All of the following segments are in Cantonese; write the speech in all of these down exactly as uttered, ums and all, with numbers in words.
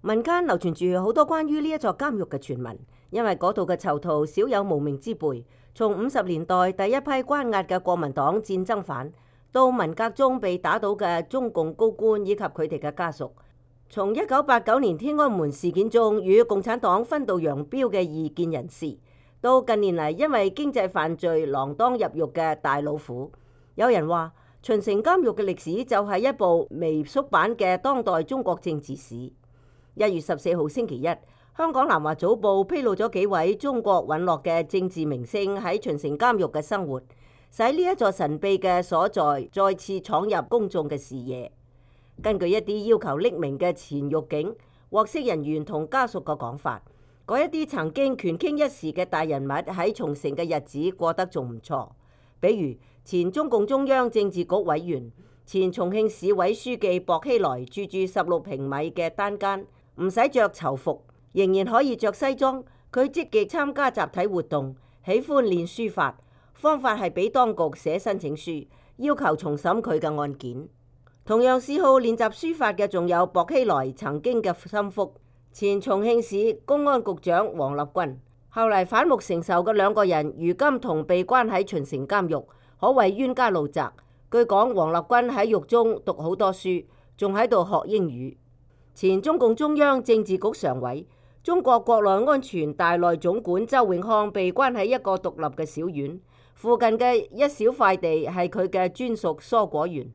民間流傳住好多關於呢一座監獄嘅傳聞，因為嗰度嘅囚徒少有無名之輩。從五十年代第一批關押嘅國民黨戰爭犯，到文革中被打倒嘅中共高官以及佢哋嘅家屬，從一九八九年天安門事件中與共產黨分道揚鑣嘅異見人士，到近年嚟因為經濟犯罪鋃鐺入獄嘅大老虎。有人話秦城監獄嘅歷史就係一部微縮版嘅當代中國政治史。一月十四號星期一，香港南華早報披露咗幾位中國隕落嘅政治明星喺秦城監獄嘅生活，使呢一座神秘嘅所在再次闖入公眾嘅視野。根據一啲要求匿名嘅前獄警、獲釋人員同家屬嘅講法，嗰一啲曾經權傾一時嘅大人物喺秦城嘅日子過得仲唔錯，比如前中共中央政治局委員、前重慶市委書記薄熙來住住十六平米嘅單間，唔使着囚服，仍然可以着西裝。佢積極參加集體活動，喜歡練書法，方法係俾當局寫申請書，要求重審佢嘅案件。同樣嗜好練習書法嘅仲有薄熙來曾經嘅心腹，前重慶市公安局長王立軍。後嚟反目成仇嘅兩個人，如今同被關喺秦城監獄，可謂冤家路窄。據講，王立軍喺獄中讀好多書，仲喺度學英語。前中共中央政治局常委、中國國內安全大內總管周永康被關喺一個獨立嘅小院，附近嘅一小塊地係佢嘅專屬蔬果園。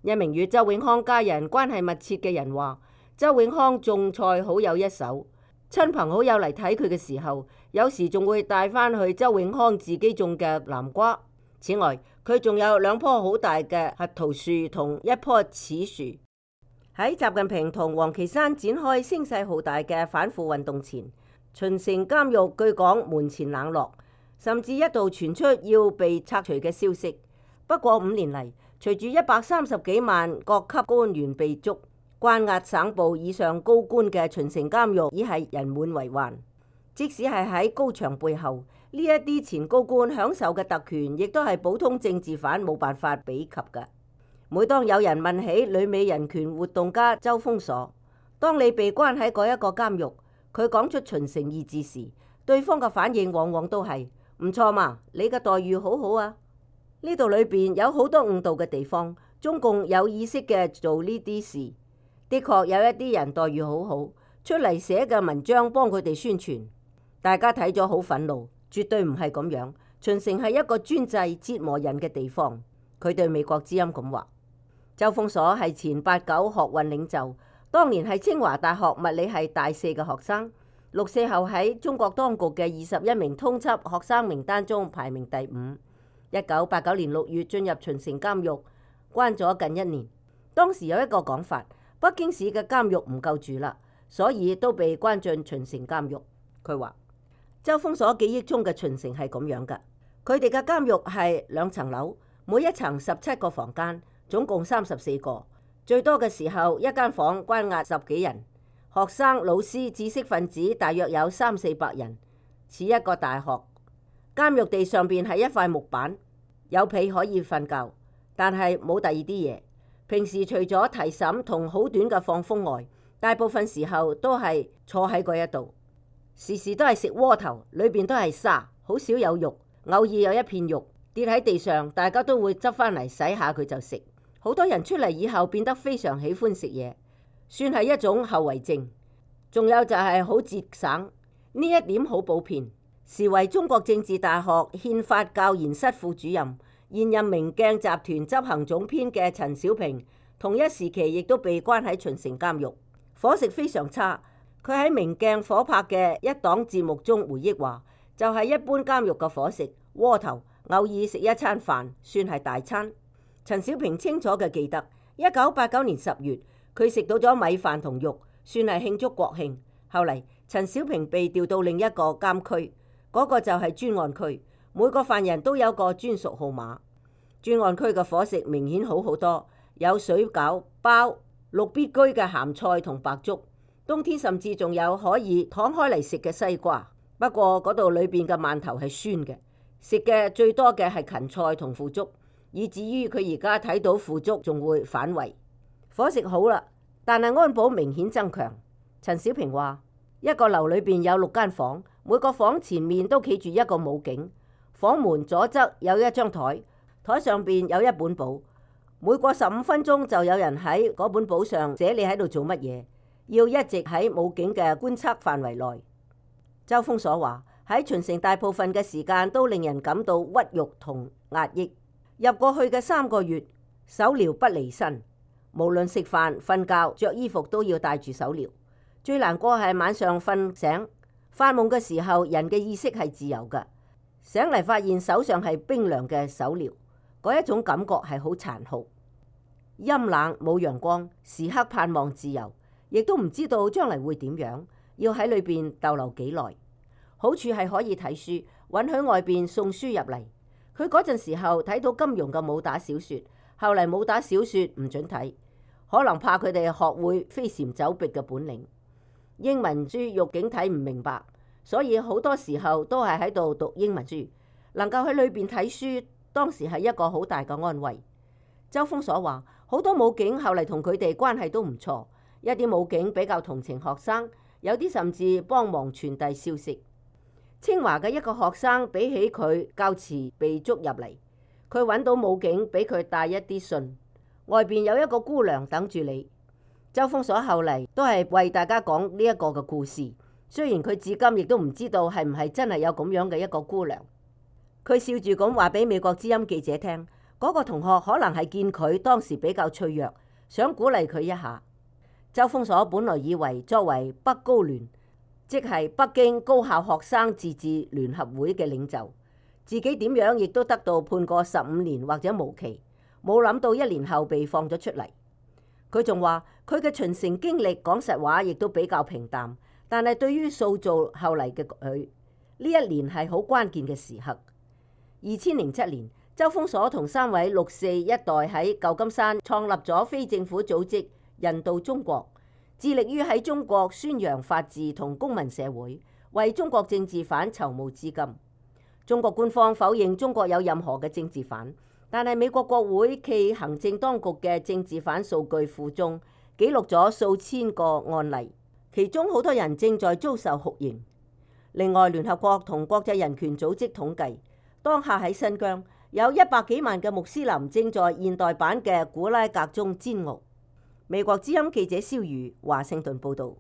一名與周永康家人關係密切嘅人話，周永康種菜好有一手，親朋好友嚟睇佢嘅時候，有時仲會帶翻去周永康自己種嘅南瓜。此外，佢仲有兩棵好大嘅核桃樹同一棵柿樹。喺習近平同王岐山展開聲勢浩大嘅反腐運動前，秦城監獄據講門前冷落，甚至一度傳出要被拆除嘅消息。不過五年嚟，隨住一百三十幾萬各級官員被捉，關押省部以上高官嘅秦城監獄已係人滿為患。即使係喺高牆背後，呢一啲前高官享受嘅特權，亦都係普通政治犯冇辦法比及嘅。每當有人問起旅美人權活動家周鋒鎖，當你被關喺嗰一個監獄，佢講出秦城二字時，對方嘅反應往往都係唔錯嘛，你嘅待遇好好啊。呢度裏邊有好多誤導嘅地方，中共有意識嘅做呢啲事。的確有一啲人待遇好好，出嚟寫嘅文章幫佢哋宣傳，大家睇咗好憤怒，絕對唔係咁樣。秦城係一個專制折磨人嘅地方。佢對美國之音咁話。周鋒鎖係前八九學運領袖，當年係清華大學物理系大四嘅學生，六四後喺中國當局嘅二十一名通緝學生名單中排名第五。一九八九年六月進入秦城監獄，關咗近一年。當時有一個講法，北京市嘅監獄唔夠住啦，所以都被關進秦城監獄。佢話周鋒鎖記憶中嘅秦城係咁樣噶，佢哋嘅監獄係兩層樓，每一層十七個房間。總共三十四個，最多嘅時候一間房關押十幾人，學生、老師、知識分子大約有三四百人，似一個大學。監獄地上邊係一塊木板，有被可以瞓覺，但係冇第二啲嘢。平時除咗提審同好短嘅放風外，大部分時候都係坐喺嗰一度，時時都係食窩頭，裏邊都係沙，好少有肉，偶爾有一片肉跌喺地上，大家都會執翻嚟洗下佢就食。好多人出嚟以後變得非常喜歡食嘢，算係一種後遺症。仲有就係好節省，呢一點好普遍。時為中國政治大學憲法教研室副主任、現任明鏡集團執行總編嘅陳小平，同一時期亦都被關喺秦城監獄，伙食非常差。佢喺明鏡火拍嘅一檔節目中回憶話，就係一般監獄嘅伙食，窩頭，偶爾食一餐飯，算係大餐。陳小平清楚嘅記得，一九八九年十月，佢食到咗米飯同肉，算係慶祝國慶。後嚟陳小平被調到另一個監區，嗰個就係專案區，每個犯人都有個專屬號碼。專案區嘅伙食明顯好好多，有水餃、包、六必居嘅鹹菜同白粥，冬天甚至仲有可以敞開嚟食嘅西瓜。不過嗰度裏邊嘅饅頭係酸嘅，食嘅最多嘅係芹菜同腐竹。以至於佢而家睇到腐竹仲會反胃。伙食好啦，但係安保明顯增強。陳小平話：一個樓裏邊有六間房，每個房前面都企住一個武警，房門左側有一張台，台上邊有一本簿，每過十五分鐘就有人喺嗰本簿上寫你喺度做乜嘢，要一直喺武警嘅觀測範圍內。周鋒所話：喺秦城大部分嘅時間都令人感到屈辱同壓抑。入過去嘅三個月，手鐐不離身，無論食飯、瞓覺、着衣服都要帶住手鐐。最難過係晚上瞓醒發夢嘅時候，人嘅意識係自由㗎，醒嚟發現手上係冰涼嘅手鐐，嗰一種感覺係好殘酷。陰冷冇陽光，時刻盼望自由，亦都唔知道將來會點樣，要喺裏邊逗留幾耐。好處係可以睇書，允許外邊送書入嚟。佢嗰陣時候睇到金庸嘅武打小說，後嚟武打小說唔准睇，可能怕佢哋學會飛檐走壁嘅本領。英文書獄警睇唔明白，所以好多時候都係喺度讀英文書。能夠喺裏邊睇書，當時係一個好大嘅安慰。周鋒所話，好多武警後嚟同佢哋關係都唔錯，一啲武警比較同情學生，有啲甚至幫忙傳遞消息。清華嘅一個學生比起佢較遲被捉入嚟，佢揾到武警俾佢帶一啲信，外邊有一個姑娘等住你。周鋒所後嚟都係為大家講呢一個嘅故事，雖然佢至今亦都唔知道係唔係真係有咁樣嘅一個姑娘。佢笑住咁話俾美國之音記者聽，嗰個同學可能係見佢當時比較脆弱，想鼓勵佢一下。周鋒所本來以為作為北高聯，即係北京高校學生自治聯合會嘅領袖，自己點樣亦都得到判過十五年或者無期，冇諗到一年後被放咗出嚟。佢仲話佢嘅秦城經歷，講實話亦都比較平淡，但係對於塑造後嚟嘅佢，呢一年係好關鍵嘅時刻。二千零七年，周鋒所同三位六四一代喺舊金山創立咗非政府組織人道中國，致力於喺中國宣揚法治同公民社會，為中國政治犯籌募資金。中國官方否認中國有任何嘅政治犯，但係美國國會暨行政當局嘅政治犯數據庫中記錄咗數千個案例，其中好多人正在遭受酷刑。另外，聯合國同國際人權組織統計，當下喺新疆有一百幾萬嘅穆斯林正在現代版嘅古拉格中煎熬。美國之音記者蕭瑜華盛頓報道。